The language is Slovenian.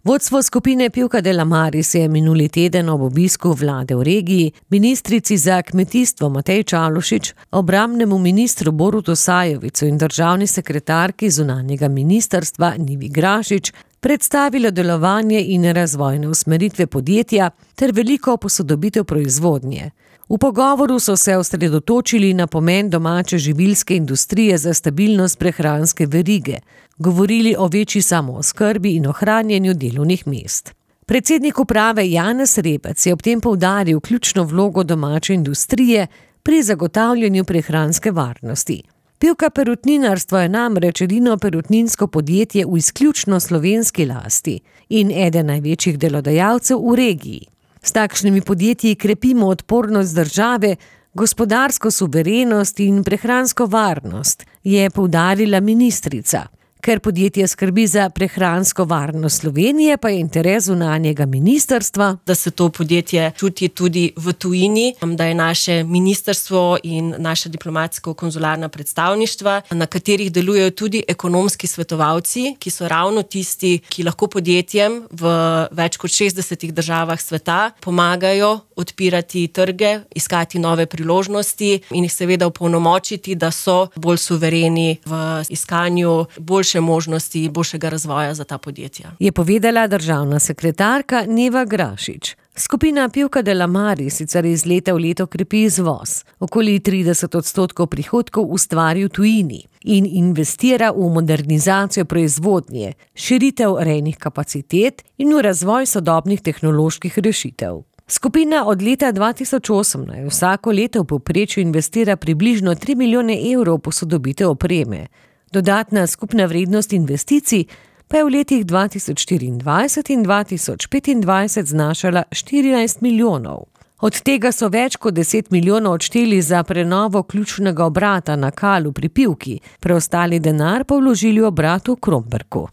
Vodstvo skupine Pivka de la Maris je minuli teden ob obisku vlade v regiji ministrici za kmetijstvo Mateji Čalušić, obrambnemu ministru Borutu Sajovicu in državni sekretarki zunanjega ministrstva Nivi Grašič predstavilo delovanje in razvojne usmeritve podjetja ter veliko posodobitev proizvodnje. V pogovoru so se osredotočili na pomen domače živilske industrije za stabilnost prehranske verige, govorili o večji samooskrbi in ohranjanju delovnih mest. Predsednik uprave Janez Rebec je ob tem poudaril ključno vlogo domače industrije pri zagotavljanju prehranske varnosti. Pivka perutninarstvo je namreč edino perutninsko podjetje v izključno slovenski lasti in eden največjih delodajalcev v regiji. S takšnimi podjetji krepimo odpornost države, gospodarsko suverenost in prehransko varnost, je poudarila ministrica. Ker podjetje skrbi za prehransko varnost Slovenije, pa je interes zunanjega ministrstva, da se to podjetje čuti tudi v tujini, da je naše ministrstvo in naša diplomatsko-konzularna predstavništva, na katerih delujejo tudi ekonomski svetovalci, ki so ravno tisti, ki lahko podjetjem v več kot 60 državah sveta pomagajo odpirati trge, iskati nove priložnosti in jih seveda opolnomočiti, da so bolj suvereni v iskanju boljše možnosti, boljšega razvoja za ta podjetja. Je povedala državna sekretarka Neva Grašič. Skupina Pivka de la Maris sicer iz leta v leto krepi izvoz. Okoli 30% prihodkov ustvari v tujini in investira v modernizacijo proizvodnje, širitev rejnih kapacitet in v razvoj sodobnih tehnoloških rešitev. Skupina od leta 2018 vsako leto v povprečju investira približno 3 milijone evrov v posodobitev opreme. Dodatna skupna vrednost investicij pa je v letih 2024 in 2025 znašala 14 milijonov. Od tega so več kot 10 milijonov odšteli za prenovo ključnega obrata na Kalu pri Pivki, preostali denar pa vložili v obrat v Kromberku.